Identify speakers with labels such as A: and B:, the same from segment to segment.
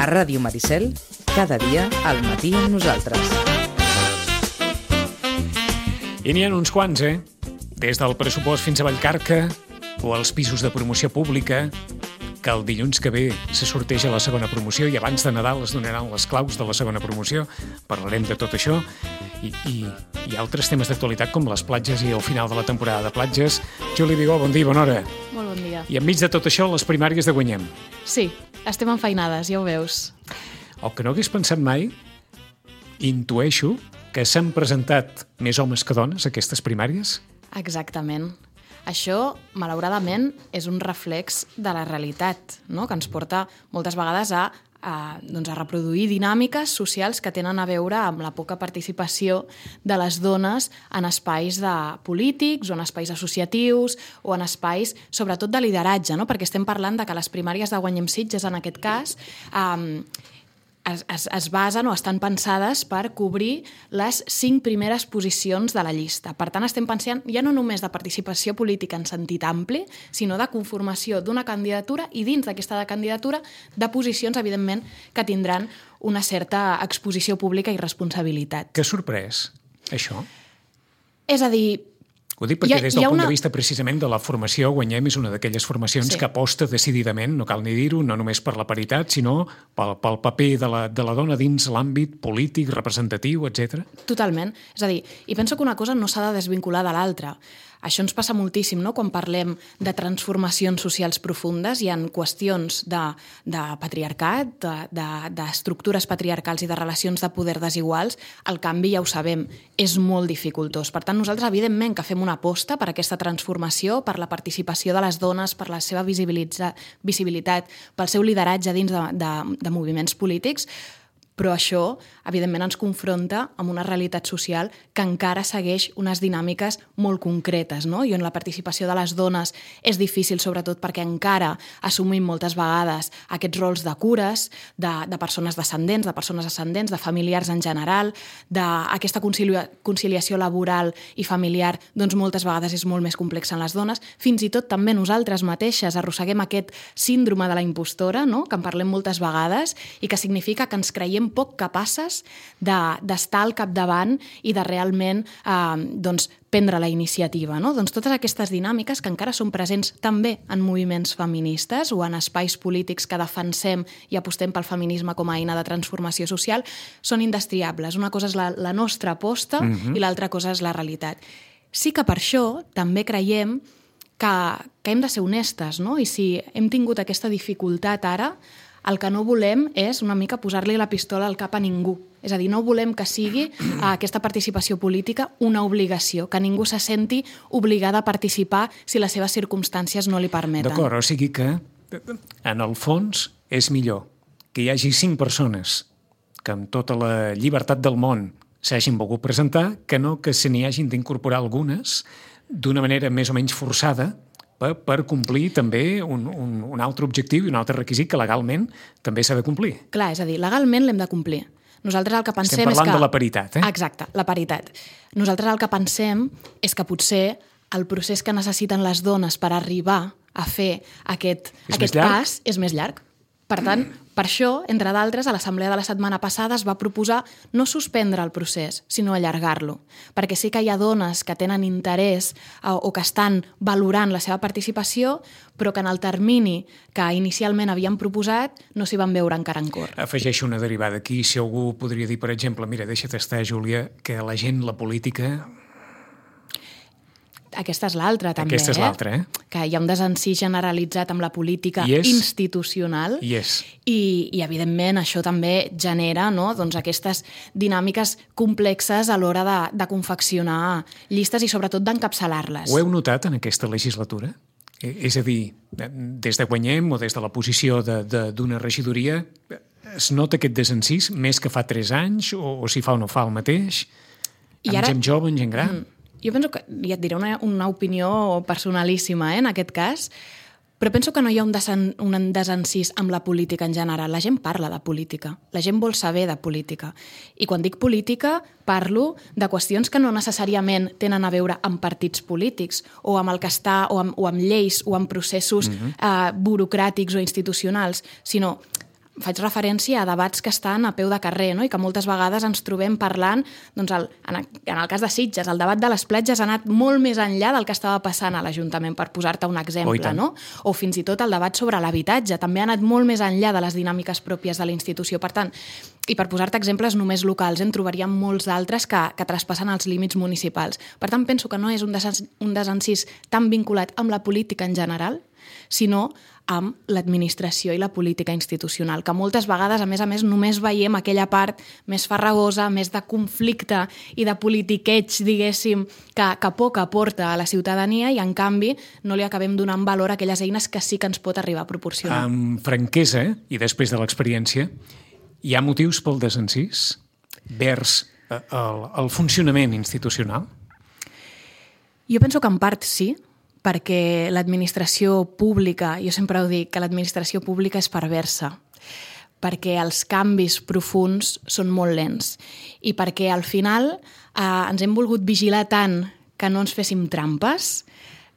A: A Ràdio Maricel, cada dia al matí amb nosaltres.
B: I n'hi ha uns quants, Des del pressupost fins a Vallcarca o als pisos de promoció pública, que el dilluns que ve se sorteja la segona promoció i abans de Nadal es donaran les claus de la segona promoció. Parlarem de tot això i altres temes d'actualitat com les platges i el final de la temporada de platges. Juli Vigó, bon dia, bona hora.
C: Molt bon dia.
B: I enmig de tot això, les primàries de Guanyem.
C: Sí, estem enfeinades, ja ho veus.
B: El que no hagués pensat mai, intueixo que s'han presentat més homes que dones a aquestes primàries.
C: Exactament. Això, malauradament, és un reflex de la realitat, no? Que ens porta moltes vegades a reproduir dinàmiques socials que tenen a veure amb la poca participació de les dones en espais polítics o en espais associatius o en espais, sobretot, de lideratge, no? Perquè estem parlant de que les primàries de Guanyem Sitges, en aquest cas, es basen o estan pensades per cobrir les 5 primeres posicions de la llista. Per tant, estem pensant ja no només de participació política en sentit ampli, sinó de conformació d'una candidatura i dins d'aquesta candidatura de posicions, evidentment, que tindran una certa exposició pública i responsabilitat.
B: Que sorprès, això?
C: És a dir,
B: ho dic perquè des del punt de vista precisament de la formació, Guanyem és una d'aquelles formacions que aposta decididament, no cal ni dir-ho, no només per la paritat, sinó pel paper de la dona dins l'àmbit polític, representatiu, etc.
C: Totalment. És a dir, i penso que una cosa no s'ha de desvincular de l'altra. Això ens passa moltíssim, no? Quan parlem de transformacions socials profundes, hi ha qüestions de patriarcat, d'estructures patriarcals i de relacions de poder desiguals. El canvi, ja ho sabem, és molt dificultós. Per tant, nosaltres, evidentment, que fem una aposta per aquesta transformació, per la participació de les dones, per la seva visibilitat, pel seu lideratge dins de moviments polítics, però això, evidentment, ens confronta amb una realitat social que encara segueix unes dinàmiques molt concretes, no? I on la participació de les dones és difícil, sobretot perquè encara assumim moltes vegades aquests rols de cures, de persones descendents, de persones ascendents, de familiars en general, d'aquesta conciliació laboral i familiar, doncs moltes vegades és molt més complexa en les dones. Fins i tot també nosaltres mateixes arrosseguem aquest síndrome de la impostora, no? Que en parlem moltes vegades i que significa que ens creiem poc capaces d'estar al capdavant i de realment prendre la iniciativa. No? Doncs totes aquestes dinàmiques que encara són presents també en moviments feministes o en espais polítics que defensem i apostem pel feminisme com a eina de transformació social són indestriables. Una cosa és la nostra aposta i l'altra cosa és la realitat. Sí que per això també creiem que hem de ser honestes, no? I si hem tingut aquesta dificultat ara, el que no volem és una mica posar-li la pistola al cap a ningú. És a dir, no volem que sigui aquesta participació política una obligació, que ningú se senti obligada a participar si les seves circumstàncies no li permeten.
B: D'acord, o sigui que, en el fons, és millor que hi hagi 5 persones que amb tota la llibertat del món s'hagin volgut presentar que no que se n'hi hagin d'incorporar algunes d'una manera més o menys forçada per complir també un altre objectiu i un altre requisit que legalment també s'ha de complir.
C: Clar, és a dir, legalment l'hem de complir. Nosaltres el que pensem
B: Estem parlant de la paritat,
C: Exacte, la paritat. Nosaltres el que pensem és que potser el procés que necessiten les dones per arribar a fer aquest pas és més llarg. Per tant, per això, entre d'altres, a l'assemblea de la setmana passada es va proposar no suspendre el procés, sinó allargar-lo. Perquè sí que hi ha dones que tenen interès o que estan valorant la seva participació, però que en el termini que inicialment havien proposat no s'hi van veure encara en cor.
B: Afegeixo una derivada aquí. Si algú podria dir, per exemple, mira, deixa't estar, Júlia, que la gent, la política...
C: Aquesta és l'altra, també.
B: Aquesta és l'altra,
C: Que hi ha un desencís generalitzat amb la política institucional. I, evidentment, això també genera aquestes dinàmiques complexes a l'hora de confeccionar llistes i, sobretot, d'encapçalar-les.
B: Ho heu notat en aquesta legislatura? És a dir, des de Guanyem o des de la posició d'una regidoria, es nota aquest desencís més que fa 3 anys o si fa o no fa el mateix? Amb gent jove, amb gent gran?
C: Jo penso que, ja et diré una opinió personalíssima en aquest cas, però penso que no hi ha un desencís amb la política en general. La gent parla de política, la gent vol saber de política. I quan dic política, parlo de qüestions que no necessàriament tenen a veure amb partits polítics o amb el que està, o amb lleis o amb processos burocràtics o institucionals, sinó faig referència a debats que estan a peu de carrer, no? I que moltes vegades ens trobem parlant, doncs en el cas de Sitges, el debat de les platges ha anat molt més enllà del que estava passant a l'Ajuntament, per posar-te un exemple, no? O fins i tot el debat sobre l'habitatge també ha anat molt més enllà de les dinàmiques pròpies de la institució. Per tant, i per posar-te exemples només locals, en trobaríem molts d'altres que traspassen els límits municipals. Per tant, penso que no és un desencís tan vinculat amb la política en general, sinó amb l'administració i la política institucional, que moltes vegades, a més, només veiem aquella part més farragosa, més de conflicte i de politiqueig, diguéssim, que poc aporta a la ciutadania i, en canvi, no li acabem donant valor a aquelles eines que sí que ens pot arribar a proporcionar.
B: Amb franquesa, i després de l'experiència, hi ha motius pel desencís vers el funcionament institucional?
C: Jo penso que en part sí, perquè l'administració pública, jo sempre ho dic, que l'administració pública és perversa, perquè els canvis profunds són molt lents i perquè al final ens hem volgut vigilar tant que no ens féssim trampes,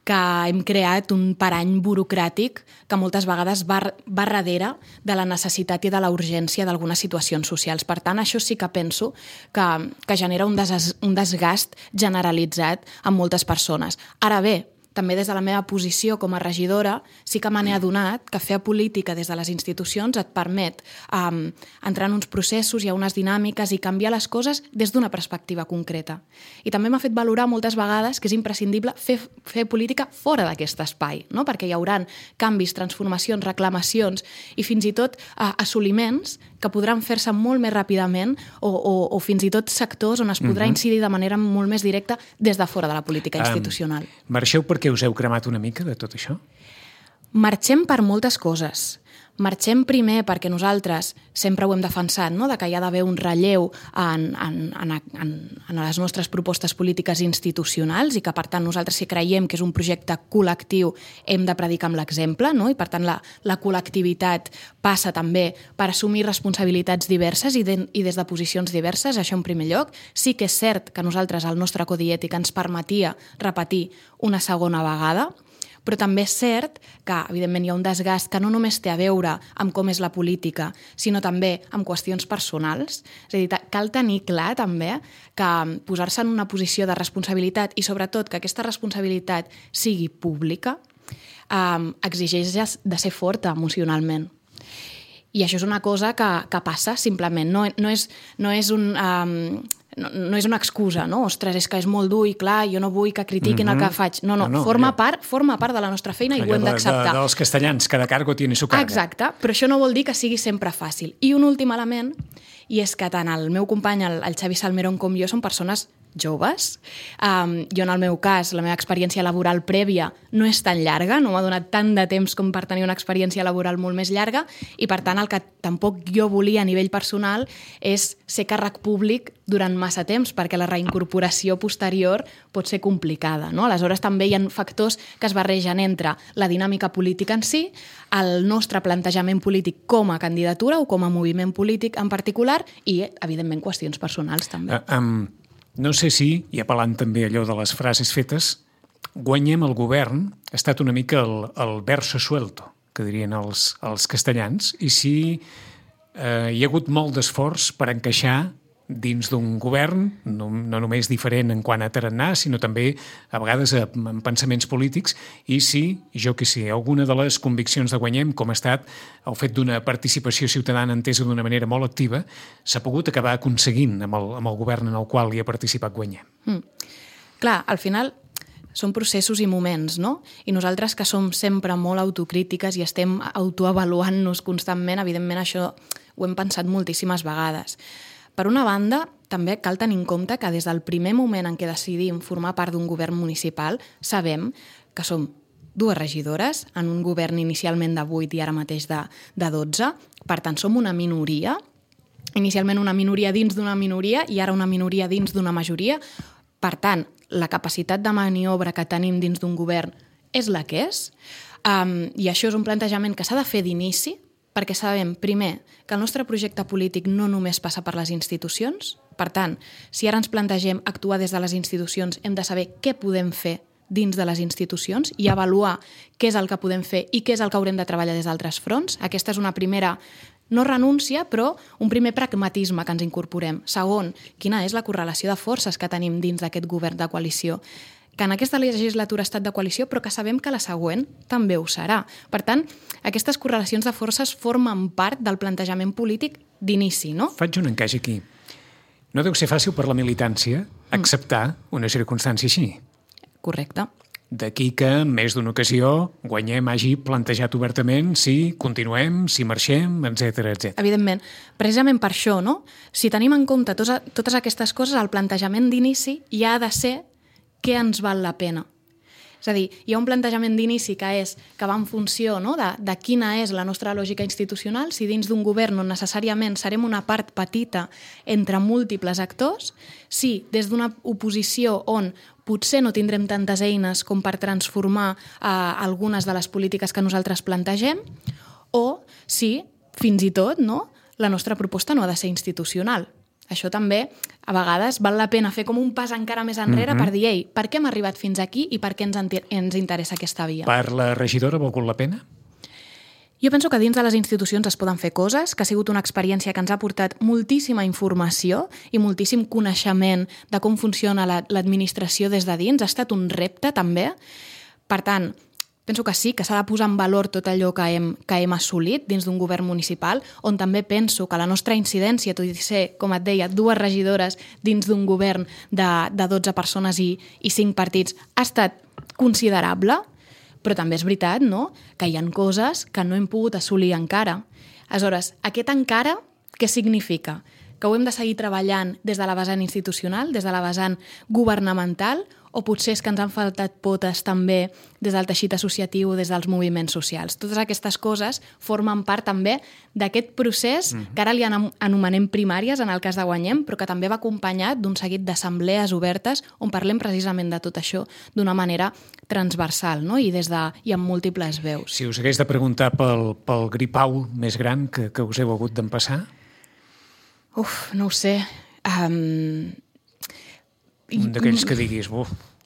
C: que hem creat un parany burocràtic que moltes vegades va darrere de la necessitat i de la urgència d'algunes situacions socials. Per tant, això sí que penso que genera un desgast generalitzat en moltes persones. Ara bé, també des de la meva posició com a regidora, sí que me n'he adonat que fer política des de les institucions et permet entrar en uns processos, hi ha unes dinàmiques i canviar les coses des d'una perspectiva concreta. I també m'ha fet valorar moltes vegades que és imprescindible fer política fora d'aquest espai, no? Perquè hi haurà canvis, transformacions, reclamacions i fins i tot assoliments que podran fer-se molt més ràpidament o fins i tot sectors on es podrà incidir de manera molt més directa des de fora de la política institucional.
B: Marxeu perquè us heu cremat una mica de tot això?
C: Marxem per moltes coses. Marxem primer perquè nosaltres sempre ho hem defensat, no? De que hi ha d'haver un relleu en les nostres propostes polítiques institucionals i que, per tant, nosaltres si creiem que és un projecte col·lectiu hem de predicar amb l'exemple, no? I, per tant, la col·lectivitat passa també per assumir responsabilitats diverses i des de posicions diverses, això en primer lloc. Sí que és cert que nosaltres, el nostre codi ètic, ens permetia repetir una segona vegada, però també és cert que, evidentment, hi ha un desgast que no només té a veure amb com és la política, sinó també amb qüestions personals. És a dir, cal tenir clar, també, que posar-se en una posició de responsabilitat i, sobretot, que aquesta responsabilitat sigui pública, exigeix de ser forta emocionalment. I això és una cosa que passa, simplement. No és una excusa, no? Ostres, és que és molt dur i clar, jo no vull que critiquin el que faig. No, forma part de la nostra feina i ho hem d'acceptar.
B: Dels castellans, cada cargo tiene su cargo.
C: Exacte, però això no vol dir que sigui sempre fàcil. I un últim element, i és que tant el meu company, el Xavi Salmerón, com jo, són persones joves. Jo, en el meu cas, la meva experiència laboral prèvia no és tan llarga, no m'ha donat tant de temps com per tenir una experiència laboral molt més llarga i, per tant, el que tampoc jo volia a nivell personal és ser càrrec públic durant massa temps, perquè la reincorporació posterior pot ser complicada, no? Aleshores, també hi ha factors que es barregen entre la dinàmica política en si, el nostre plantejament polític com a candidatura o com a moviment polític en particular i, evidentment, qüestions personals també.
B: No sé si, i apel·lant també allò de les frases fetes, guanyem el govern ha estat una mica el verso suelto, que dirien els castellans, i si hi ha hagut molt d'esforç per encaixar dins d'un govern, no només diferent en quant a tarannà, sinó també a vegades en pensaments polítics, i si, jo que sé, alguna de les conviccions de Guanyem, com ha estat el fet d'una participació ciutadana entesa d'una manera molt activa, s'ha pogut acabar aconseguint amb el govern en el qual hi ha participat Guanyem.
C: Clar, al final són processos i moments, no? I nosaltres que som sempre molt autocrítiques i estem autoavaluant-nos constantment, evidentment això ho hem pensat moltíssimes vegades. Per una banda, també cal tenir en compte que des del primer moment en què decidim formar part d'un govern municipal sabem que som 2 regidores en un govern inicialment de 8 i ara mateix de 12. Per tant, som una minoria, inicialment una minoria dins d'una minoria i ara una minoria dins d'una majoria. Per tant, la capacitat de maniobra que tenim dins d'un govern és la que és. I això és un plantejament que s'ha de fer d'inici, perquè sabem, primer, que el nostre projecte polític no només passa per les institucions. Per tant, si ara ens plantegem actuar des de les institucions, hem de saber què podem fer dins de les institucions i avaluar què és el que podem fer i què és el que haurem de treballar des d'altres fronts. Aquesta és una primera no renúncia, però un primer pragmatisme que ens incorporem. Segon, quina és la correlació de forces que tenim dins d'aquest govern de coalició, que en aquesta legislatura ha estat de coalició, però que sabem que la següent també ho serà. Per tant, aquestes correlacions de forces formen part del plantejament polític d'inici, no?
B: Faig un encaix aquí. No deu ser fàcil per la militància acceptar una circumstància així.
C: Correcte.
B: D'aquí que en més d'una ocasió Guanyem hagi plantejat obertament si continuem, si marxem, etc.
C: Evidentment. Precisament per això, no? Si tenim en compte totes aquestes coses, el plantejament d'inici ja ha de ser què ens val la pena. És a dir, hi ha un plantejament d'inici que va en funció, no?, de quina és la nostra lògica institucional, si dins d'un govern on necessàriament serem una part petita entre múltiples actors, si des d'una oposició on potser no tindrem tantes eines com per transformar algunes de les polítiques que nosaltres plantegem, o si, fins i tot, no?, la nostra proposta no ha de ser institucional. Això també, a vegades, val la pena fer com un pas encara més enrere per dir, ei, per què hem arribat fins aquí i per què ens interessa aquesta via?
B: Per la regidora ha valgut la pena?
C: Jo penso que dins de les institucions es poden fer coses, que ha sigut una experiència que ens ha portat moltíssima informació i moltíssim coneixement de com funciona l'administració des de dins. Ha estat un repte, també. Per tant, penso que sí, que s'ha de posar en valor tot allò que hem assolit dins d'un govern municipal, on també penso que la nostra incidència, tot i ser, com et deia, 2 regidores dins d'un govern de 12 persones i 5 partits, ha estat considerable, però també és veritat, no?, que hi ha coses que no hem pogut assolir encara. Aleshores, aquest encara, què significa? Que ho hem de seguir treballant des de la vessant institucional, des de la vessant governamental, o potser és que ens han faltat potes també des del teixit associatiu, des dels moviments socials. Totes aquestes coses formen part també d'aquest procés que ara li anomenem primàries en el cas de Guanyem, però que també va acompanyat d'un seguit d'assemblees obertes on parlem precisament de tot això d'una manera transversal, no?, i amb múltiples veus.
B: Si us hagués de preguntar pel gripau més gran que us heu hagut d'empassar?
C: No ho sé.
B: Un d'aquells que diguis,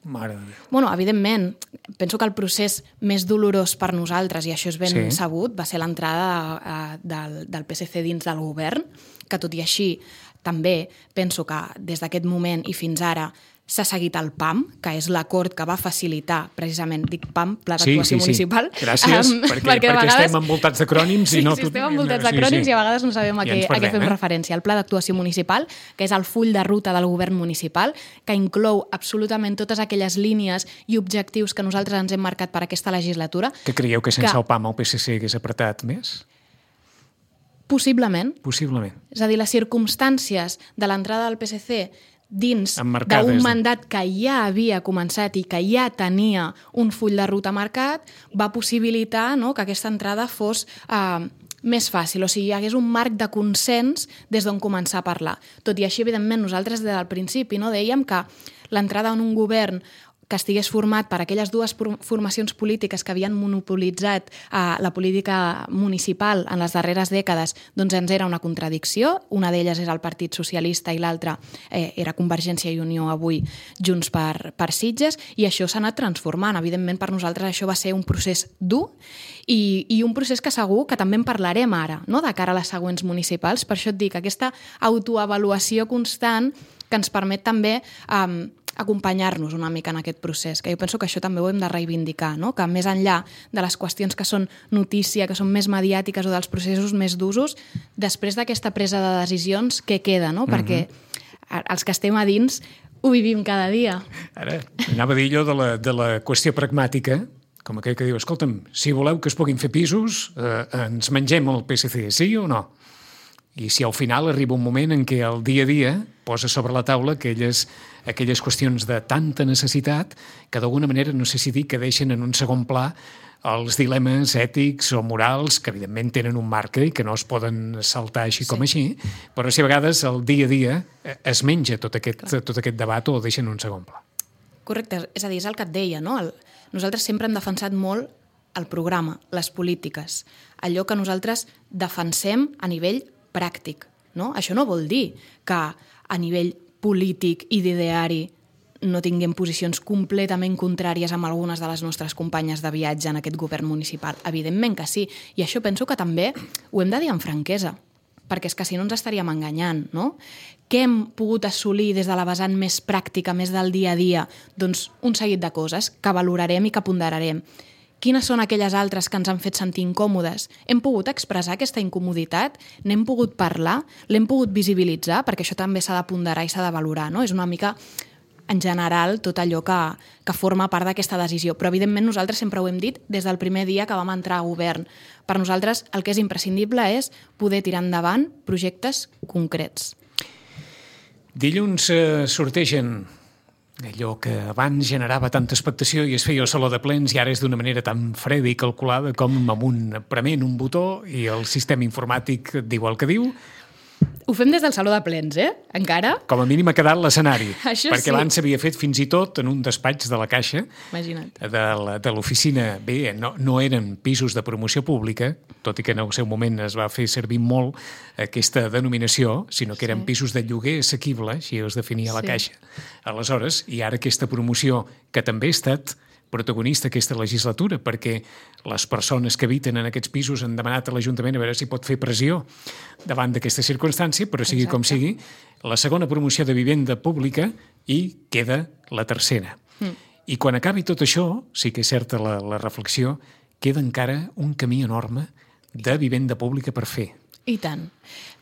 B: mare de Déu.
C: Bueno, evidentment, penso que el procés més dolorós per nosaltres, i això és ben sabut, va ser l'entrada del PSC dins del govern, que tot i així també penso que des d'aquest moment i fins ara s'ha seguit el PAM, que és l'acord que va facilitar, precisament, dic PAM, Pla d'Actuació Municipal.
B: Gràcies, perquè estem envoltats d'acrònims.
C: Estem envoltats d'acrònims i a vegades no sabem a què fem referència. El Pla d'Actuació Municipal, que és el full de ruta del govern municipal, que inclou absolutament totes aquelles línies i objectius que nosaltres ens hem marcat per aquesta legislatura.
B: Que creieu que sense el PAM el PSC hagués apretat més?
C: Possiblement.
B: Possiblement.
C: És a dir, les circumstàncies de l'entrada del PSC dins d'un mandat que ja havia començat i que ja tenia un full de ruta marcat, va possibilitar, no?, que aquesta entrada fos més fàcil, o sigui, hi hagués un marc de consens des d'on començar a parlar. Tot i així, evidentment, nosaltres des del principi dèiem que l'entrada en un govern que estigués format per aquelles 2 formacions polítiques que havien monopolitzat la política municipal en les darreres dècades, doncs ens era una contradicció. Una d'elles és el Partit Socialista i l'altra era Convergència i Unió, avui Junts per Sitges, i això s'ha anat transformant. Evidentment, per nosaltres això va ser un procés dur i un procés que segur que també en parlarem ara, no?, de cara a les següents municipals. Per això et dic, aquesta autoavaluació constant que ens permet també acompanyar-nos una mica en aquest procés, que jo penso que això també ho hem de reivindicar, no?, que més enllà de les qüestions que són notícia, que són més mediàtiques o dels processos més d'usos, després d'aquesta presa de decisions, què queda, no? Perquè els que estem a dins ho vivim cada dia.
B: Ara, anava a dir allò de la qüestió pragmàtica, com aquell que diu, escolta'm, si voleu que es puguin fer pisos, ens mengem el PSC, sí o no? I si al final arriba un moment en què el dia a dia posa sobre la taula aquelles qüestions de tanta necessitat que d'alguna manera, no sé si dir, que deixen en un segon pla els dilemes ètics o morals que evidentment tenen un marc i que no es poden saltar així com així, però si a vegades el dia a dia es menja tot aquest debat o el deixa en un segon pla.
C: Correcte, és a dir, és el que et deia, no? Nosaltres sempre hem defensat molt el programa, les polítiques, allò que nosaltres defensem a nivell pràctic, no? Això no vol dir que a nivell polític i d'ideari no tinguem posicions completament contràries amb algunes de les nostres companyes de viatge en aquest govern municipal. Evidentment que sí. I això penso que també ho hem de dir amb franquesa, perquè és que si no ens estaríem enganyant, no? Què hem pogut assolir des de la vessant més pràctica, més del dia a dia? Doncs un seguit de coses que valorarem i que ponderarem. Quines són aquelles altres que ens han fet sentir incòmodes? Hem pogut expressar aquesta incomoditat? N'hem pogut parlar? L'hem pogut visibilitzar? Perquè això també s'ha de ponderar i s'ha de valorar, no? És una mica, en general, tot allò que forma part d'aquesta decisió. Però, evidentment, nosaltres sempre ho hem dit des del primer dia que vam entrar a govern. Per nosaltres, el que és imprescindible és poder tirar endavant projectes concrets.
B: Dilluns sortegen allò que abans generava tanta expectació i es feia al Saló de Plens i ara és d'una manera tan freda i calculada com amb prement un botó i el sistema informàtic diu el que diu.
C: Ho fem des del Saló de Plens, encara.
B: Com a mínim ha quedat l'escenari.
C: Això
B: perquè
C: sí.
B: Abans s'havia fet fins i tot en un despatx de la Caixa.
C: Imagina't.
B: De l'oficina. Bé, no eren pisos de promoció pública, tot i que en el seu moment es va fer servir molt aquesta denominació, sinó que eren pisos de lloguer assequible, així es definia la Caixa. Aleshores, i ara aquesta promoció, que també ha estat protagonista aquesta legislatura, perquè les persones que habiten en aquests pisos han demanat a l'Ajuntament a veure si pot fer pressió davant d'aquesta circumstància, però sigui com sigui, la segona promoció de vivenda pública i queda la tercera. I quan acabi tot això, sí que és certa la reflexió, queda encara un camí enorme de vivenda pública per fer.
C: I tant.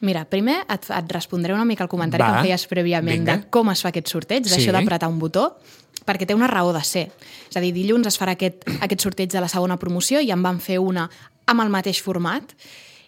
C: Mira, primer et respondré una mica al comentari que em feies prèviament de com es fa aquest sorteig, d'això d'apretar un botó, perquè té una raó de ser. És a dir, dilluns es farà aquest sorteig de la segona promoció i en van fer una amb el mateix format.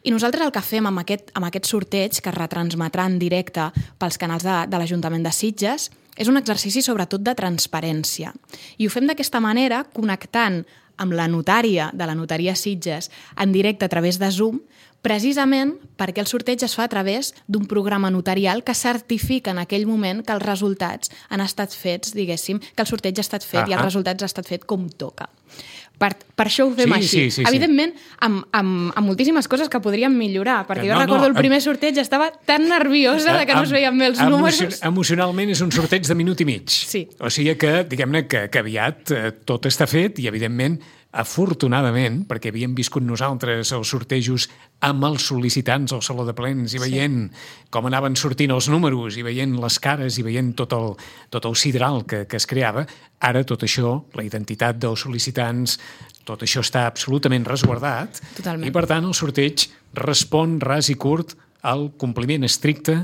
C: I nosaltres el que fem amb aquest sorteig, que es retransmetrà en directe pels canals de l'Ajuntament de Sitges, és un exercici sobretot de transparència. I ho fem d'aquesta manera, connectant amb la notària de la notaria Sitges en directe a través de Zoom, precisament perquè el sorteig es fa a través d'un programa notarial que certifica en aquell moment que els resultats han estat fets, diguéssim, que el sorteig ha estat fet i els resultats han estat fet com toca. Per això ho fem així.
B: Sí.
C: Evidentment, amb moltíssimes coses que podríem millorar, perquè jo recordo el primer sorteig estava tan nerviosa de que no es veien bé els números.
B: Emocionalment és un sorteig de minut i mig.
C: Sí.
B: O sigui que, diguem-ne, que aviat tot està fet i, evidentment, afortunadament, perquè havíem viscut nosaltres els sortejos amb els sol·licitants al Saló de Plens i veient com anaven sortint els números i veient les cares i veient tot el sidral que es creava, ara tot això, la identitat dels sol·licitants, tot això està absolutament resguardat.
C: Totalment.
B: I, per tant, el sorteig respon ras i curt al compliment estricte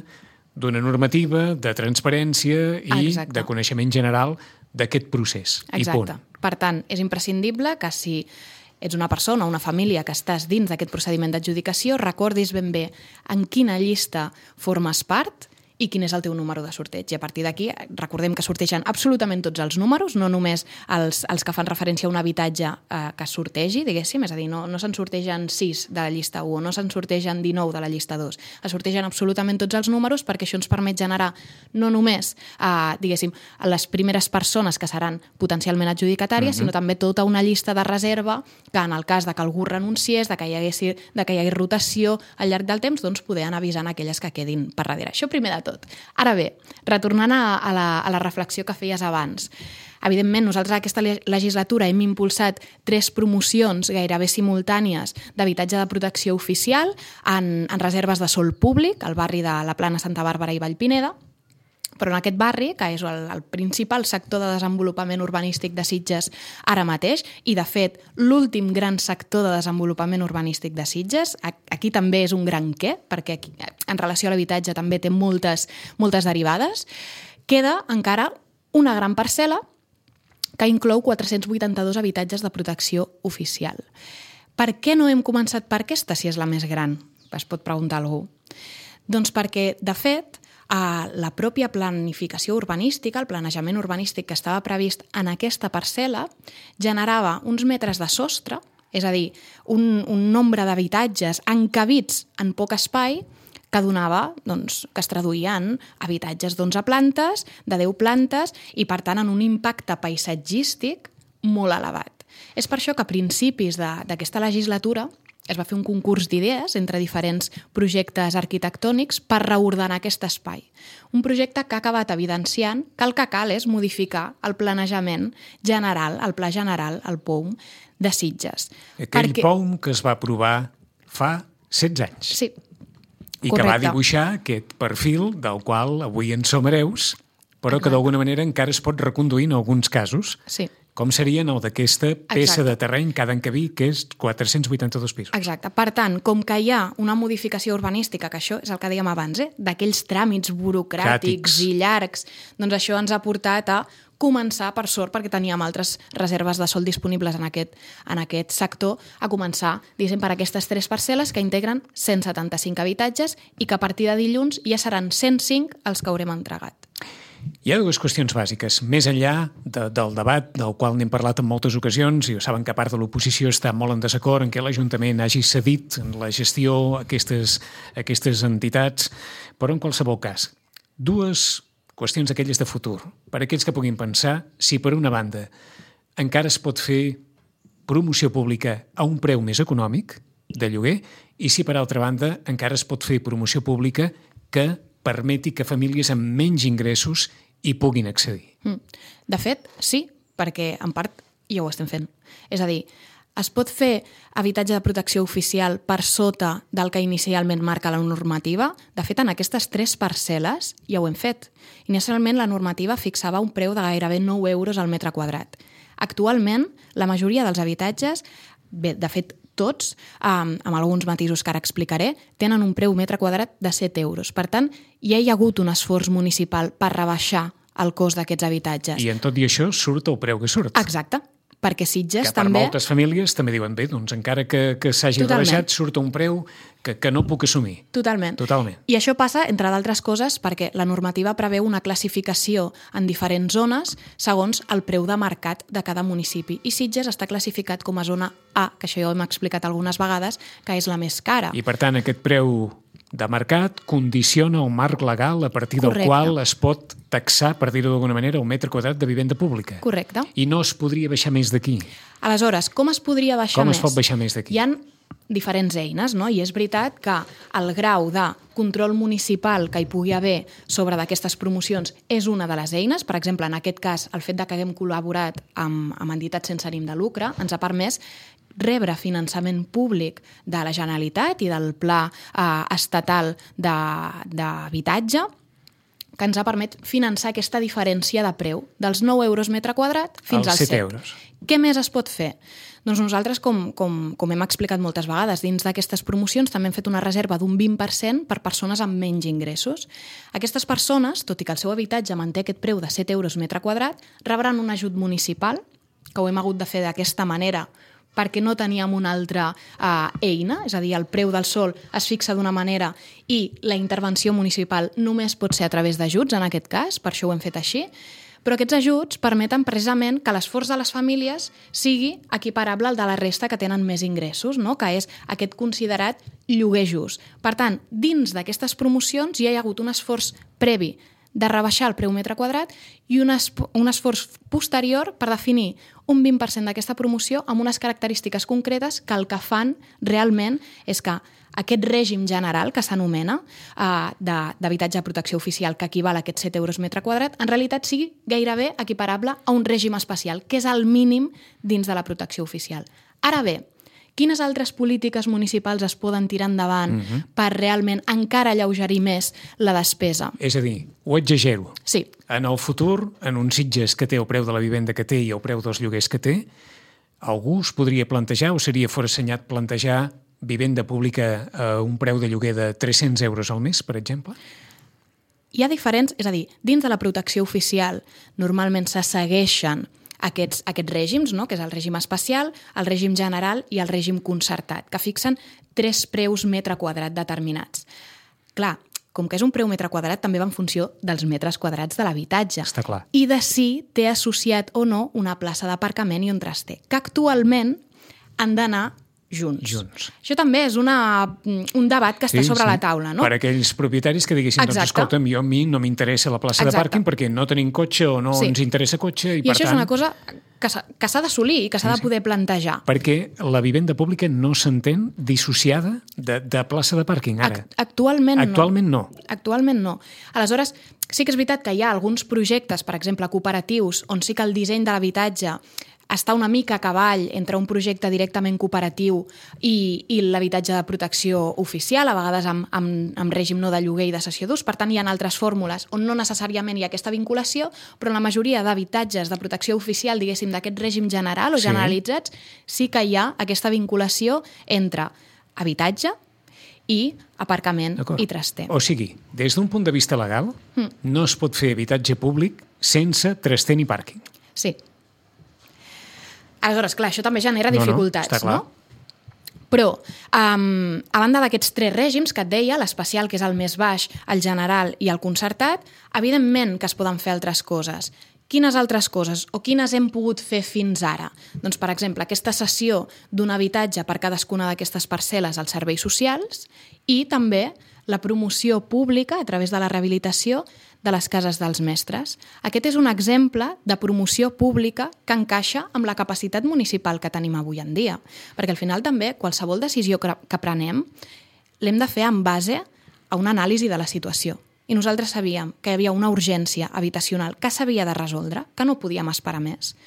B: d'una normativa de transparència i de coneixement general d'aquest procés.
C: Exacte.
B: I punt.
C: Per tant, és imprescindible que si ets una persona o una família que estàs dins d'aquest procediment d'adjudicació, recordis ben bé en quina llista formes part i quin és el teu número de sorteig. I a partir d'aquí, recordem que sortegen absolutament tots els números, no només els que fan referència a un habitatge que es sortegi, diguéssim, és a dir, no se'n sortegen 6 de la llista 1 o no se'n sortegen 19 de la llista 2. Es sortegen absolutament tots els números perquè això ens permet generar no només, diguéssim, les primeres persones que seran potencialment adjudicatàries, sinó també tota una llista de reserva que en el cas de que algú renunciés, de que hi hagués rotació al llarg del temps, doncs poder anar avisant aquelles que quedin per darrere. Això primer de tot. Ara bé, retornant a la reflexió que feies abans, evidentment nosaltres aquesta legislatura hem impulsat 3 promocions gairebé simultànies d'habitatge de protecció oficial en reserves de sòl públic, al barri de la Plana Santa Bàrbara i Vallpineda, però en aquest barri, que és el principal sector de desenvolupament urbanístic de Sitges ara mateix, i de fet l'últim gran sector de desenvolupament urbanístic de Sitges, aquí també és un gran què, perquè aquí, en relació a l'habitatge també té moltes derivades, queda encara una gran parcel·la que inclou 482 habitatges de protecció oficial. Per què no hem començat per aquesta, si és la més gran? Es pot preguntar algú. Doncs perquè, de fet, la pròpia planificació urbanística, el planejament urbanístic que estava previst en aquesta parcel·la, generava uns metres de sostre, és a dir, un nombre d'habitatges encabits en poc espai que donava, doncs, que es traduïa en habitatges d'11 plantes, de 10 plantes, i per tant en un impacte paisatgístic molt elevat. És per això que a principis d'aquesta legislatura es va fer un concurs d'idees entre diferents projectes arquitectònics per reordenar aquest espai. Un projecte que ha acabat evidenciant que el que cal és modificar el planejament general, el pla general, el POUM, de Sitges.
B: Aquell POUM que es va aprovar fa 16 anys.
C: Sí,
B: I
C: correcte.
B: que va dibuixar aquest perfil del qual avui en som hereus, però que d'alguna manera encara es pot reconduir en alguns casos.
C: Sí.
B: Com serien el d'aquesta peça
C: Exacte.
B: de terreny que ha d'encabir, que és 482 pisos.
C: Exacte. Per tant, com que hi ha una modificació urbanística, que això és el que dèiem abans, d'aquells tràmits burocràtics i llargs, doncs això ens ha portat a començar, per sort, perquè teníem altres reserves de sòl disponibles en aquest sector, a començar, diguéssim, per aquestes 3 parcel·les que integren 175 habitatges i que a partir de dilluns ja seran 105 els que haurem entregat.
B: Hi ha 2 qüestions bàsiques. Més enllà del debat, del qual n'hem parlat en moltes ocasions, i saben que part de l'oposició està molt en desacord en què l'Ajuntament hagi cedit en la gestió a aquestes entitats, però en qualsevol cas, 2 qüestions aquelles de futur. Per aquells que puguin pensar si, per una banda, encara es pot fer promoció pública a un preu més econòmic de lloguer i si, per altra banda, encara es pot fer promoció pública que permeti que famílies amb menys ingressos hi puguin accedir.
C: De fet, sí, perquè en part ja ho estem fent. És a dir, es pot fer habitatge de protecció oficial per sota del que inicialment marca la normativa. De fet, en aquestes 3 parcel·les ja ho hem fet. Inicialment, la normativa fixava un preu de gairebé 9 euros al metre quadrat. Actualment, la majoria dels habitatges, bé, de fet, tots, amb alguns matisos que ara explicaré, tenen un preu metre quadrat de 7 euros. Per tant, ja hi ha hagut un esforç municipal per rebaixar el cost d'aquests habitatges.
B: I en tot i això surt el preu que surt.
C: Exacte, perquè Sitges
B: que per
C: també...
B: moltes famílies també diuen, bé, doncs encara que s'hagi rebaixat, surt un preu que no puc assumir.
C: Totalment. I això passa, entre d'altres coses, perquè la normativa preveu una classificació en diferents zones segons el preu de mercat de cada municipi. I Sitges està classificat com a zona A, que això ja ho hem explicat algunes vegades, que és la més cara.
B: I, per tant, aquest preu de mercat condiciona el marc legal a partir del qual es pot taxar, per dir-ho d'alguna manera, un metre quadrat de vivenda pública.
C: Correcte.
B: I no es podria baixar més d'aquí.
C: Aleshores, com es podria baixar més?
B: Com es pot baixar més d'aquí?
C: Hi ha diferents eines, no? I és veritat que el grau de control municipal que hi pugui haver sobre d'aquestes promocions és una de les eines. Per exemple, en aquest cas, el fet de que haguem col·laborat amb entitats sense ànim de lucre ens ha permès rebre finançament públic de la Generalitat i del Pla Estatal d'Habitatge, que ens ha permès finançar aquesta diferència de preu dels 9 euros metre quadrat fins als 7
B: euros.
C: Què més es pot fer? Doncs nosaltres, com hem explicat moltes vegades, dins d'aquestes promocions també hem fet una reserva d'un 20% per persones amb menys ingressos. Aquestes persones, tot i que el seu habitatge manté aquest preu de 7 euros metre quadrat, rebran un ajut municipal, que ho hem hagut de fer d'aquesta manera perquè no teníem una altra eina, és a dir, el preu del sòl es fixa d'una manera i la intervenció municipal només pot ser a través d'ajuts, en aquest cas, per això ho hem fet així, però aquests ajuts permeten precisament que l'esforç de les famílies sigui equiparable al de la resta que tenen més ingressos, no? Que és aquest considerat lloguer just. Per tant, dins d'aquestes promocions ja hi ha hagut un esforç previ de rebaixar el preu metre quadrat i un esforç posterior per definir un 20% d'aquesta promoció amb unes característiques concretes que el que fan realment és que aquest règim general que s'anomena d'habitatge de protecció oficial, que equival a aquests 7 euros metre quadrat, en realitat sigui gairebé equiparable a un règim especial, que és el mínim dins de la protecció oficial. Ara bé, quines altres polítiques municipals es poden tirar endavant per realment encara alleugerir més la despesa?
B: És a dir, ho exagero.
C: Sí.
B: En el futur, en un Sitges que té el preu de la vivenda que té i el preu dels lloguers que té, algú es podria plantejar, o seria forassenyat plantejar vivenda pública a un preu de lloguer de 300 euros al mes, per exemple?
C: Hi ha diferents, és a dir, dins de la protecció oficial normalment se segueixen aquests règims, no? Que és el règim especial, el règim general i el règim concertat, que fixen 3 preus metre quadrat determinats. Clar, com que és un preu metre quadrat, també va en funció dels metres quadrats de l'habitatge.
B: Està clar.
C: I de si té associat o no una plaça d'aparcament i un traster, que actualment han d'anar junts. Això també és un debat que està sobre la taula, no?
B: Per aquells propietaris que diguessin, doncs escolta'm, a mi no m'interessa la plaça de pàrquing perquè no tenim cotxe o no ens interessa cotxe i per tant...
C: I això és una cosa que s'ha d'assolir i que s'ha de poder plantejar.
B: Perquè la vivenda pública no s'entén dissociada de plaça de pàrquing, ara.
C: Actualment no.
B: Actualment no.
C: Aleshores, sí que és veritat que hi ha alguns projectes, per exemple, cooperatius, on sí que el disseny de l'habitatge està una mica a cavall entre un projecte directament cooperatiu i l'habitatge de protecció oficial, a vegades amb règim no de lloguer i de cessió d'ús. Per tant, hi ha altres fórmules on no necessàriament hi ha aquesta vinculació, però en la majoria d'habitatges de protecció oficial, diguéssim, d'aquest règim general o generalitzats, sí que hi ha aquesta vinculació entre habitatge i aparcament i traster.
B: O sigui, des d'un punt de vista legal, no es pot fer habitatge públic sense traster ni pàrquing.
C: Sí. Aleshores, clar, això també genera dificultats, no? Però, a banda d'aquests 3 règims que et deia, l'especial, que és el més baix, el general i el concertat, evidentment que es poden fer altres coses. Quines altres coses o quines hem pogut fer fins ara? Doncs, per exemple, aquesta cessió d'un habitatge per cadascuna d'aquestes parcel·les als serveis socials i també la promoció pública a través de la rehabilitació de les cases dels mestres. Aquest és un exemple de promoció pública que encaixa amb la capacitat municipal que tenim avui en dia. Perquè al final també qualsevol decisió que prenem l'hem de fer en base a una anàlisi de la situació. I nosaltres sabíem que hi havia una urgència habitacional que s'havia de resoldre, que no podíem esperar més.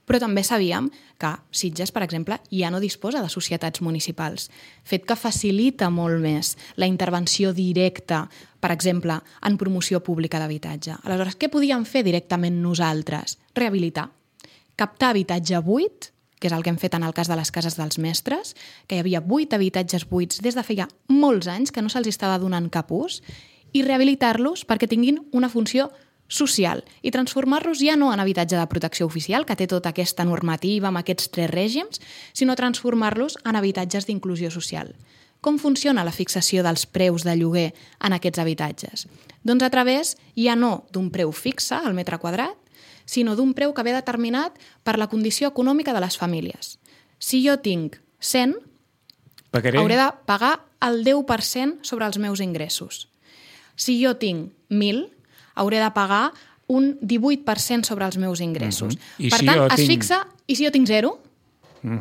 C: Però també sabíem que Sitges, per exemple, ja no disposa de societats municipals, fet que facilita molt més la intervenció directa, per exemple, en promoció pública d'habitatge. Aleshores, què podíem fer directament nosaltres? Rehabilitar. Captar habitatge buit, que és el que hem fet en el cas de les cases dels mestres, que hi havia 8 habitatges buits des de feia molts anys que no se'ls estava donant cap ús, i rehabilitar-los perquè tinguin una funció social i transformar-los ja no en habitatge de protecció oficial, que té tota aquesta normativa amb aquests 3 règims, sinó transformar-los en habitatges d'inclusió social. Com funciona la fixació dels preus de lloguer en aquests habitatges? Doncs a través ja no d'un preu fixe al metre quadrat, sinó d'un preu que ve determinat per la condició econòmica de les famílies. Si jo tinc 100, hauré de pagar el 10% sobre els meus ingressos. Si jo tinc 1.000, hauré de pagar un 18% sobre els meus ingressos. Per tant, es fixa, i si jo tinc 0,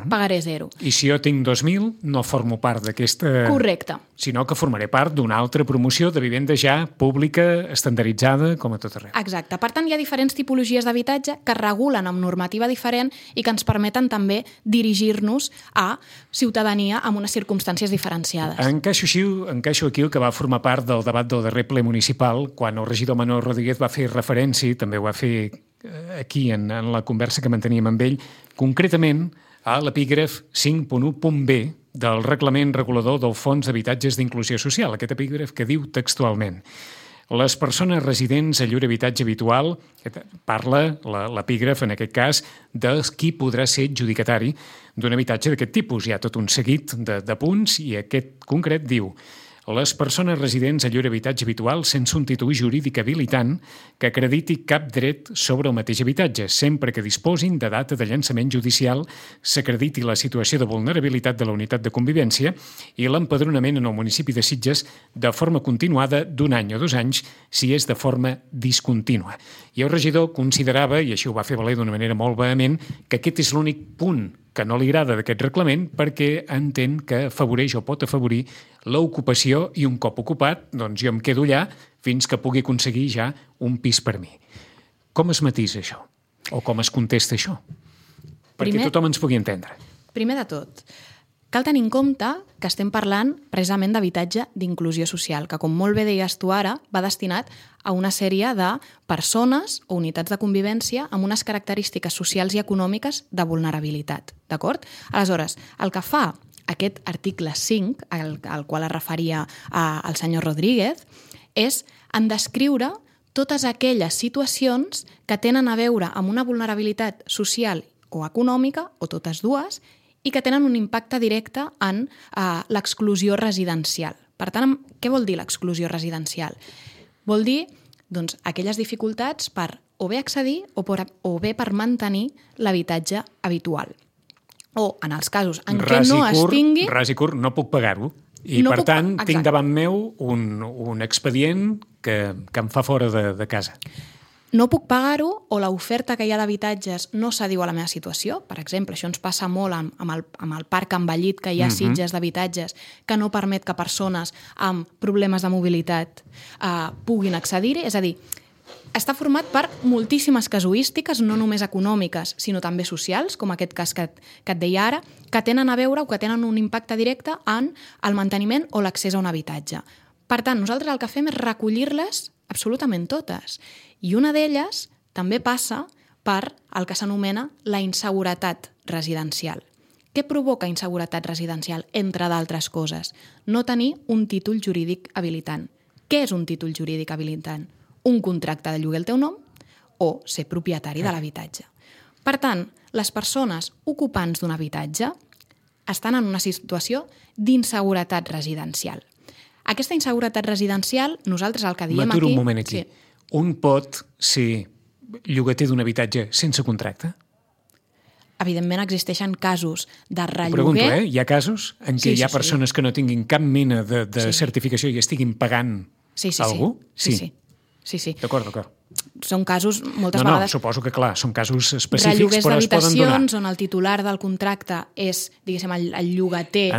C: pagaré 0.
B: I si jo tinc 2.000, no formo part d'aquesta...
C: Correcte.
B: Sinó que formaré part d'una altra promoció de vivenda ja pública, estandarditzada, com a tot arreu.
C: Exacte. Per tant, hi ha diferents tipologies d'habitatge que regulen amb normativa diferent i que ens permeten també dirigir-nos a ciutadania amb unes circumstàncies diferenciades.
B: Encaixo aquí el que va formar part del debat del darrer ple municipal, quan el regidor Manuel Rodríguez va fer referència, també ho va fer aquí en la conversa que manteníem amb ell, concretament a l'epígraf 5.1.b del Reglament Regulador del Fons d'Habitatges d'Inclusió Social, aquest epígraf que diu textualment: les persones residents a llur habitatge habitual, parla l'epígraf en aquest cas de qui podrà ser adjudicatari d'un habitatge d'aquest tipus. Hi ha tot un seguit de punts i aquest concret diu: les persones residents a llur habitatge habitual sense un títol jurídic habilitant que acrediti cap dret sobre el mateix habitatge, sempre que disposin de data de llançament judicial, s'acrediti la situació de vulnerabilitat de la unitat de convivència i l'empadronament en el municipi de Sitges de forma continuada d'1 any o 2 anys si és de forma discontínua. I el regidor considerava, i així ho va fer valer d'una manera molt vehement, que aquest és l'únic punt que no li agrada d'aquest reglament perquè entén que afavoreix o pot afavorir l'ocupació i un cop ocupat, doncs jo em quedo allà fins que pugui aconseguir ja un pis per mi. Com es matisa això? O com es contesta això? Perquè tothom ens pugui entendre.
C: Primer de tot, cal tenir en compte que estem parlant precisament d'habitatge d'inclusió social, que com molt bé deies tu ara, va destinat a una sèrie de persones o unitats de convivència amb unes característiques socials i econòmiques de vulnerabilitat. D'acord? Aleshores, el que fa aquest article 5, al qual es referia el senyor Rodríguez, és en descriure totes aquelles situacions que tenen a veure amb una vulnerabilitat social o econòmica, o totes dues, i que tenen un impacte directe en l'exclusió residencial. Per tant, què vol dir l'exclusió residencial? Vol dir doncs, aquelles dificultats per o bé accedir o bé per mantenir l'habitatge habitual. O en els casos en què no es tingui...
B: Ras i curt, no puc pagar-ho. I, per tant, tinc davant meu un expedient que em fa fora de casa.
C: No puc pagar-ho o l'oferta que hi ha d'habitatges no s'adiu a la meva situació. Per exemple, això ens passa molt amb el parc envellit que hi ha Sitges d'habitatges que no permet que persones amb problemes de mobilitat puguin accedir-hi. És a dir, està format per moltíssimes casuístiques, no només econòmiques, sinó també socials, com aquest cas que et deia ara, que tenen a veure o que tenen un impacte directe en el manteniment o l'accés a un habitatge. Per tant, nosaltres el que fem és recollir-les absolutament totes. I una d'elles també passa per el que s'anomena la inseguretat residencial. Què provoca inseguretat residencial, entre d'altres coses? No tenir un títol jurídic habilitant. Què és un títol jurídic habilitant? Un contracte de lloguer al teu nom o ser propietari de l'habitatge. Per tant, les persones ocupants d'un habitatge estan en una situació d'inseguretat residencial. Aquesta inseguretat residencial, nosaltres el que diem aquí...
B: M'aturo un moment aquí. Sí. Un pot ser llogater d'un habitatge sense contracte?
C: Evidentment existeixen casos de relloguer...
B: Ho pregunto, Hi ha casos en què hi ha persones que no tinguin cap mena de certificació i estiguin pagant algú?
C: Sí.
B: D'acord.
C: Són casos, moltes vegades...
B: No, suposo que, clar, són casos específics,
C: relloguers
B: però es poden donar.
C: d'habitacions on el titular del contracte és, diguéssim, el llogater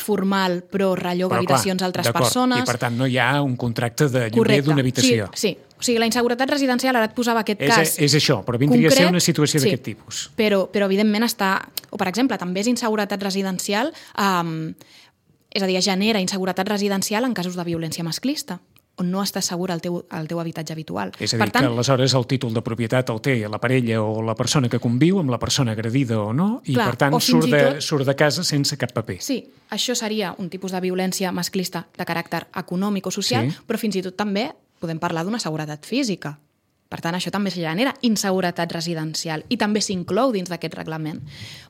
C: formal, però relloga habitacions a altres persones.
B: I, per tant, no hi ha un contracte de lloguer d'una habitació.
C: Sí. O sigui, la inseguretat residencial, ara et posava aquest cas
B: és això, però vindria a ser una situació d'aquest tipus.
C: Però evidentment està... O, per exemple, també és inseguretat residencial, és a dir, genera inseguretat residencial en casos de violència masclista, on no està segur el teu habitatge habitual.
B: És a dir, que aleshores el títol de propietat el té la parella o la persona que conviu amb la persona agredida o no, i per tant surt de casa sense cap paper.
C: Sí, això seria un tipus de violència masclista de caràcter econòmic o social, però fins i tot també podem parlar d'una seguretat física. Per tant, això també se genera inseguretat residencial i també s'inclou dins d'aquest reglament.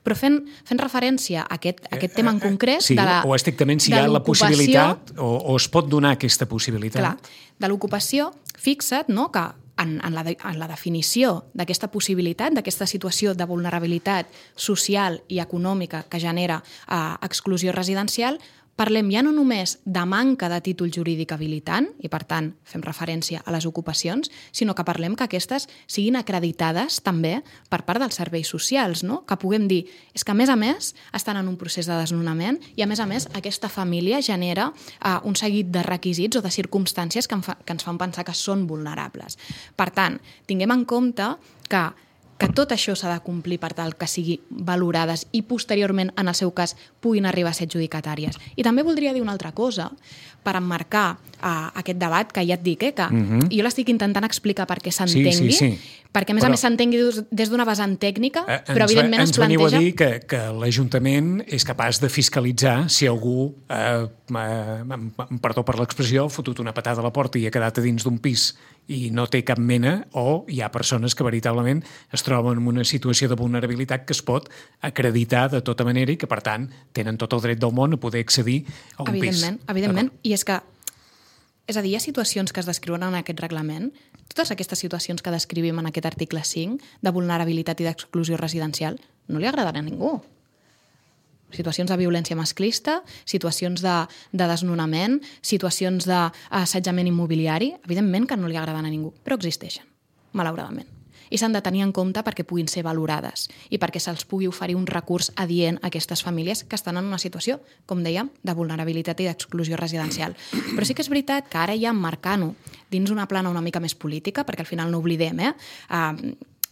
C: Però fent referència a aquest tema en concret...
B: Sí, o estrictament si hi ha la possibilitat o es pot donar aquesta possibilitat.
C: Clar, de l'ocupació, fixa't que en la definició d'aquesta possibilitat, d'aquesta situació de vulnerabilitat social i econòmica que genera exclusió residencial, parlem ja no només de manca de títol jurídic habilitant, i per tant fem referència a les ocupacions, sinó que parlem que aquestes siguin acreditades també per part dels serveis socials, no? Que puguem dir, és que a més estan en un procés de desnonament i a més aquesta família genera un seguit de requisits o de circumstàncies que ens fan pensar que són vulnerables. Per tant, tinguem en compte que tot això s'ha de complir per tal que sigui valorades i posteriorment, en el seu cas, puguin arribar a ser adjudicatàries. I també voldria dir una altra cosa per emmarcar aquest debat que ja et dic, que jo l'estic intentant explicar perquè s'entengui, perquè a més s'entengui des d'una vessant tècnica, però evidentment es planteja...
B: Ens veniu a dir que l'Ajuntament és capaç de fiscalitzar si algú, perdó per l'expressió, ha fotut una patada a la porta i ha quedat a dins d'un pis i no té cap mena, o hi ha persones que veritablement es troben en una situació de vulnerabilitat que es pot acreditar de tota manera i que, per tant, tenen tot el dret del món a poder accedir a un pis.
C: Evidentment. I és a dir, hi ha situacions que es descriuen en aquest reglament, totes aquestes situacions que descrivim en aquest article 5 de vulnerabilitat i d'exclusió residencial, no li agradarà a ningú. Situacions de violència masclista, situacions de desnonament, situacions d'assetjament immobiliari, evidentment que no li agraden a ningú, però existeixen, malauradament. I s'han de tenir en compte perquè puguin ser valorades i perquè se'ls pugui oferir un recurs adient a aquestes famílies que estan en una situació, com dèiem, de vulnerabilitat i d'exclusió residencial. Però sí que és veritat que ara ja emmarcant-ho dins una plana una mica més política, perquè al final no oblidem,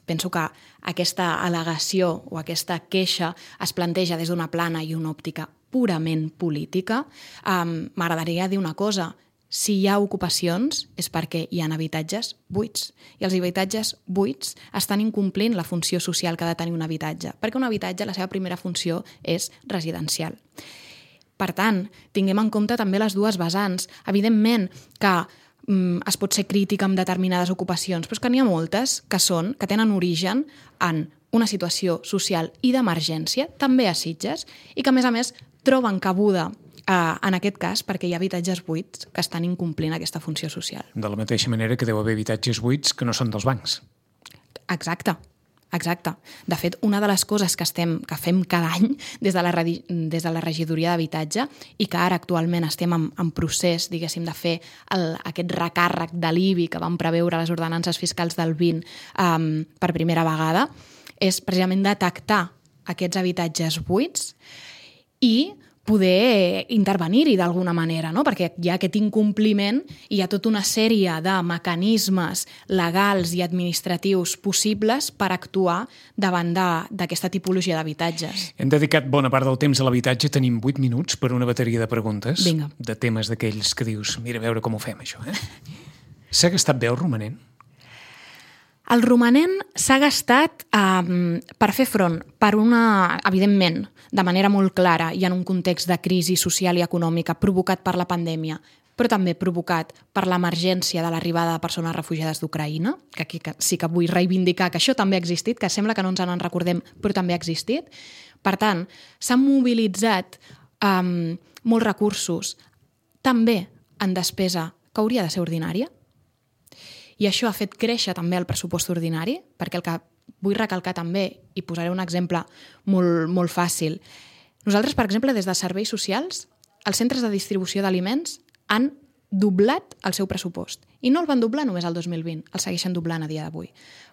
C: penso que aquesta al·legació o aquesta queixa es planteja des d'una plana i una òptica purament política. M'agradaria dir una cosa: si hi ha ocupacions és perquè hi ha habitatges buits. I els habitatges buits estan incomplint la funció social que ha de tenir un habitatge, perquè un habitatge, la seva primera funció és residencial. Per tant, tinguem en compte també les dues vessants. Evidentment que es pot ser crític amb determinades ocupacions, però és que n'hi ha moltes que tenen origen en una situació social i d'emergència, també a Sitges, i que, a més, troben cabuda en aquest cas perquè hi ha habitatges buits que estan incomplint aquesta funció social.
B: De la mateixa manera que deu haver habitatges buits que no són dels bancs.
C: Exacte. Exacte. De fet, una de les coses que fem cada any des de la regidoria d'habitatge i que ara actualment estem en procés, diguéssim, de fer aquest recàrrec de l'IBI que vam preveure les ordenances fiscals del 20 per primera vegada, és precisament detectar aquests habitatges buits i poder intervenir-hi d'alguna manera, no? Perquè hi ha aquest incompliment i hi ha tota una sèrie de mecanismes legals i administratius possibles per actuar davant d'aquesta tipologia d'habitatges.
B: Hem dedicat bona part del temps a l'habitatge, tenim 8 minuts per una bateria de preguntes.
C: Vinga.
B: De temes d'aquells que dius, mira, a veure com ho fem, això. S'ha gastat bé el romanent?
C: El romanent s'ha gastat per fer front, evidentment, de manera molt clara i en un context de crisi social i econòmica provocat per la pandèmia, però també provocat per l'emergència de l'arribada de persones refugiades d'Ucraïna, que aquí sí que vull reivindicar que això també ha existit, que sembla que no ens en recordem, però també ha existit. Per tant, s'han mobilitzat molts recursos, també en despesa que hauria de ser ordinària, i això ha fet créixer també el pressupost ordinari, perquè el que vull recalcar també, i posaré un exemple molt, molt fàcil. Nosaltres, per exemple, des de serveis socials, els centres de distribució d'aliments han doblat el seu pressupost. I no el van doblar només el 2020, el segueixen doblant a dia d'avui.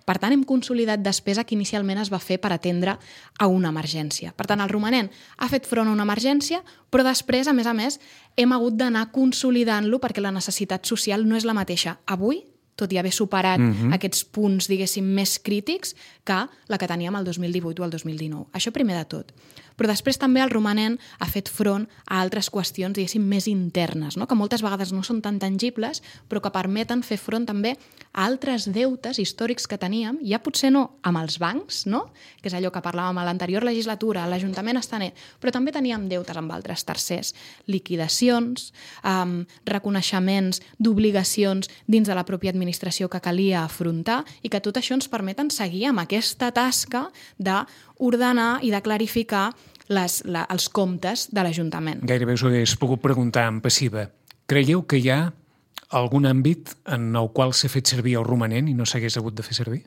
C: Per tant, hem consolidat despesa que inicialment es va fer per atendre a una emergència. Per tant, el romanent ha fet front a una emergència, però després, a més, hem hagut d'anar consolidant-lo perquè la necessitat social no és la mateixa avui, tot i haver superat aquests punts, diguéssim, més crítics que la que teníem el 2018 o el 2019. Això primer de tot. Però després també el romanent ha fet front a altres qüestions, diguéssim, més internes, no? Que moltes vegades no són tan tangibles, però que permeten fer front també a altres deutes històrics que teníem, ja potser no amb els bancs, no? Que és allò que parlàvem a l'anterior legislatura, l'Ajuntament està net, però també teníem deutes amb altres tercers, liquidacions, reconeixements d'obligacions dins de la pròpia administració que calia afrontar i que tot això ens permeten seguir amb aquesta tasca d'ordenar i de clarificar els comptes de l'Ajuntament.
B: Gairebé us ho hagués pogut preguntar en passiva. Creieu que hi ha algun àmbit en el qual s'ha fet servir el romanent i no s'hagués hagut de fer servir?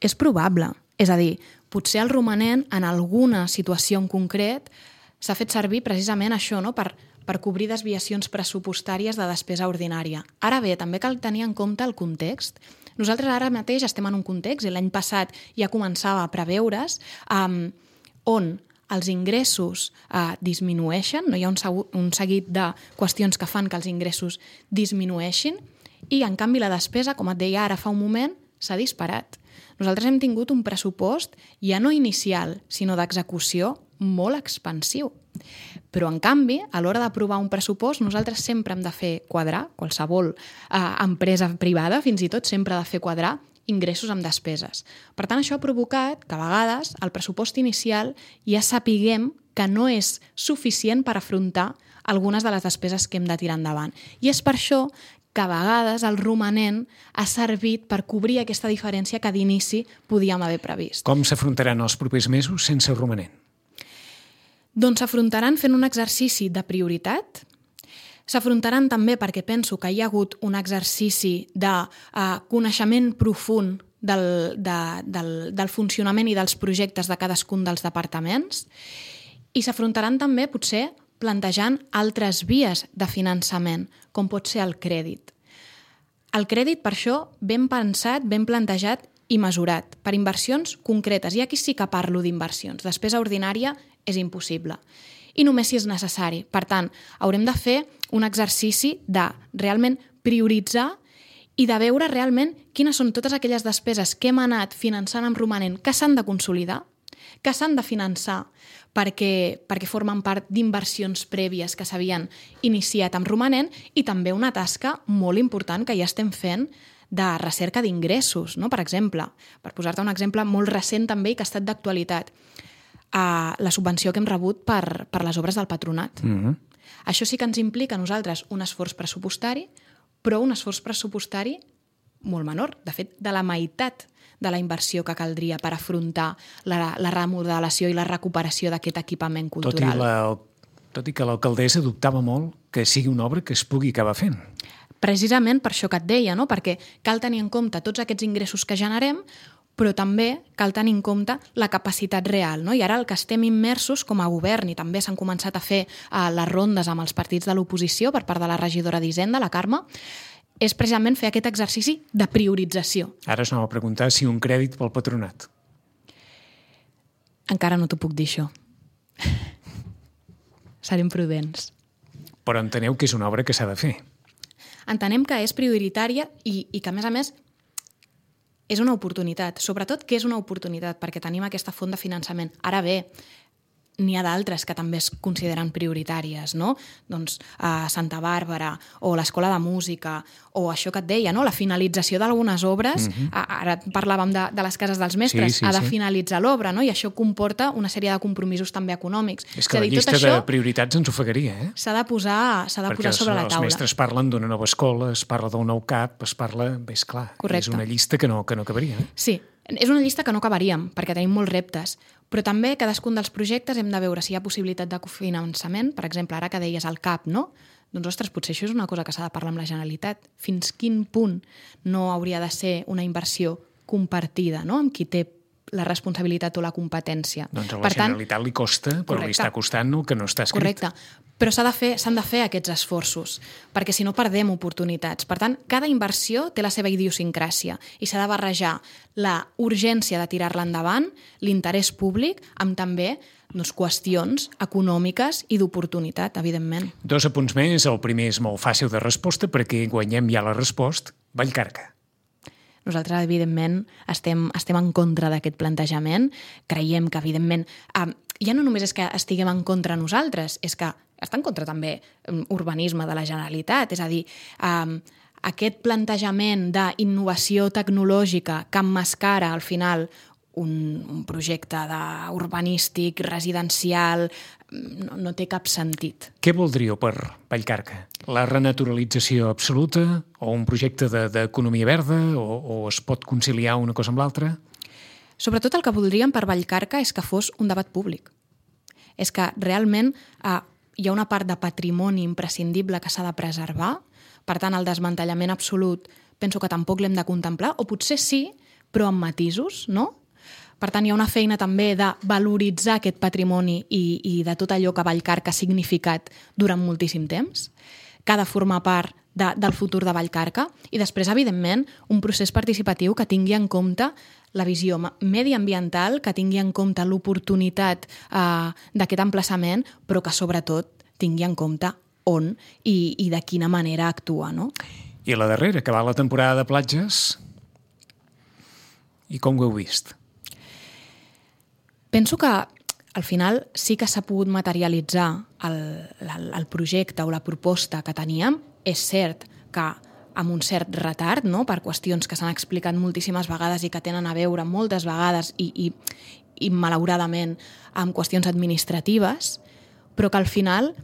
C: És probable. És a dir, potser el romanent en alguna situació en concret s'ha fet servir precisament això, no? per cobrir desviacions pressupostàries de despesa ordinària. Ara bé, també cal tenir en compte el context. Nosaltres ara mateix estem en un context, i l'any passat ja començava a preveure's, on els ingressos disminueixen, no hi ha un seguit de qüestions que fan que els ingressos disminueixin, i en canvi la despesa, com et deia ara fa un moment, s'ha disparat. Nosaltres hem tingut un pressupost ja no inicial, sinó d'execució molt expansiu. Però, en canvi, a l'hora d'aprovar un pressupost, nosaltres sempre hem de fer quadrar, qualsevol empresa privada, fins i tot, sempre ha de fer quadrar ingressos amb despeses. Per tant, això ha provocat que a vegades el pressupost inicial ja sapiguem que no és suficient per afrontar algunes de les despeses que hem de tirar endavant. I és per això que a vegades el romanent ha servit per cobrir aquesta diferència que d'inici podíem haver previst.
B: Com s'afrontaran els propers mesos sense romanent?
C: Doncs s'afrontaran fent un exercici de prioritat. S'afrontaran també perquè penso que hi ha hagut un exercici de coneixement profund del funcionament i dels projectes de cadascun dels departaments, i s'afrontaran també potser plantejant altres vies de finançament, com pot ser el crèdit. El crèdit, per això, ben pensat, ben plantejat i mesurat, per inversions concretes. I aquí sí que parlo d'inversions. Despesa ordinària és impossible. I només si és necessari. Per tant, haurem de fer un exercici de realment prioritzar i de veure realment quines són totes aquelles despeses que hem anat finançant amb romanent que s'han de consolidar, que s'han de finançar perquè formen part d'inversions prèvies que s'havien iniciat amb romanent, i també una tasca molt important que ja estem fent de recerca d'ingressos, no? Per exemple, per posar-te un exemple molt recent també i que ha estat d'actualitat, la subvenció que hem rebut per les obres del patronat. Això sí que ens implica a nosaltres un esforç pressupostari, però un esforç pressupostari molt menor, de fet, de la meitat de la inversió que caldria per afrontar la remodelació i la recuperació d'aquest equipament cultural.
B: Tot i que l'alcaldessa dubtava molt que sigui una obra que es pugui acabar fent.
C: Precisament per això que et deia, no? Perquè cal tenir en compte tots aquests ingressos que generem, però també cal tenir en compte la capacitat real, no? I ara el que estem immersos com a govern, i també s'han començat a fer les rondes amb els partits de l'oposició per part de la regidora d'Hisenda, la Carme, és precisament fer aquest exercici de priorització.
B: Ara us anava a preguntar si un crèdit pel patronat.
C: Encara no t'ho puc dir, això. Serem prudents.
B: Però enteneu que és una obra que s'ha de fer.
C: Entenem que és prioritària i que, a més, és una oportunitat. Sobretot que és una oportunitat, perquè tenim aquesta font de finançament. Ara bé, n'hi ha d'altres que també es consideren prioritàries, no? Doncs Santa Bàrbara, o l'Escola de Música, o això que et deia, no? La finalització d'algunes obres. Ara parlàvem de les cases dels mestres, ha de finalitzar l'obra, no? I això comporta una sèrie de compromisos també econòmics.
B: És que la llista de prioritats ens ofegaria, eh?
C: S'ha de posar sobre la taula.
B: Perquè els mestres parlen d'una nova escola, es parla d'un nou CAP, es parla... Bé, esclar, és una llista que no acabaria.
C: Sí, és una llista que no acabaríem, perquè tenim molts reptes. Però també cadascun dels projectes hem de veure si hi ha possibilitat de cofinançament. Per exemple, ara que deies el CAP, no? Doncs, ostres, potser això és una cosa que s'ha de parlar amb la Generalitat. Fins quin punt no hauria de ser una inversió compartida, no?, amb qui té la responsabilitat o la competència.
B: Doncs a la Generalitat li costa, però li està costant el que no està escrit.
C: Correcte. Però s'han de fer aquests esforços, perquè si no perdem oportunitats. Per tant, cada inversió té la seva idiosincràsia i s'ha de barrejar la urgència de tirar-la endavant, l'interès públic, amb també qüestions econòmiques i d'oportunitat, evidentment.
B: 2 apunts més. El primer és molt fàcil de resposta perquè guanyem ja la resposta. Vallcarca.
C: Nosaltres, evidentment, estem en contra d'aquest plantejament. Creiem que, evidentment, ja no només és que estiguem en contra nosaltres, és que està en contra també urbanisme de la Generalitat. És a dir, aquest plantejament d'innovació tecnològica que emmascara, al final, un projecte urbanístic, residencial, no té cap sentit.
B: Què voldríeu per Vallcarca? La renaturalització absoluta o un projecte d'economia verda o es pot conciliar una cosa amb l'altra?
C: Sobretot el que voldríem per Vallcarca és que fos un debat públic. És que realment hi ha una part de patrimoni imprescindible que s'ha de preservar, per tant el desmantellament absolut penso que tampoc l'hem de contemplar, o potser sí, però amb matisos, no? Per tant, hi ha una feina també de valoritzar aquest patrimoni i de tot allò que Vallcarca ha significat durant moltíssim temps, que ha de formar part del futur de Vallcarca, i després, evidentment, un procés participatiu que tingui en compte la visió mediambiental, que tingui en compte l'oportunitat d'aquest emplaçament, però que sobretot tingui en compte on i de quina manera actua, no?
B: I a la darrera, acabar la temporada de platges, i com ho heu vist?
C: Penso que al final sí que s'ha pogut materialitzar el projecte o la proposta que teníem. És cert que amb un cert retard, no?, per qüestions que s'han explicat moltíssimes vegades i que tenen a veure moltes vegades i malauradament amb qüestions administratives, però que al final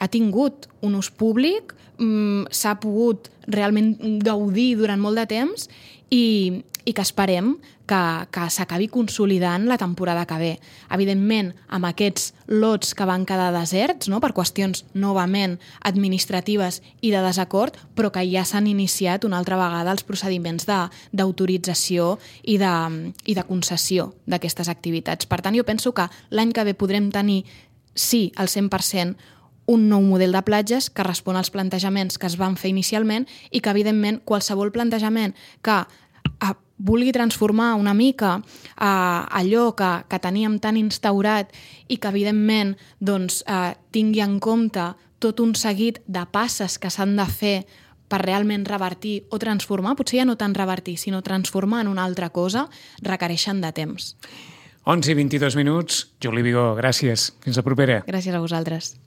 C: ha tingut un ús públic, s'ha pogut realment gaudir durant molt de temps i que esperem que s'acabi consolidant la temporada que ve. Evidentment, amb aquests lots que van quedar deserts, no?, per qüestions novament administratives i de desacord, però que ja s'han iniciat una altra vegada els procediments d'autorització i de concessió d'aquestes activitats. Per tant, jo penso que l'any que ve podrem tenir, sí, al 100%, un nou model de platges que respon als plantejaments que es van fer inicialment i que, evidentment, qualsevol plantejament que vulgui transformar una mica allò que teníem tan instaurat i que, evidentment, tingui en compte tot un seguit de passes que s'han de fer per realment revertir o transformar, potser ja no tant revertir, sinó transformar en una altra cosa, requereixen de temps.
B: 11:22. Juli Vigó, gràcies. Fins la propera.
C: Gràcies a vosaltres.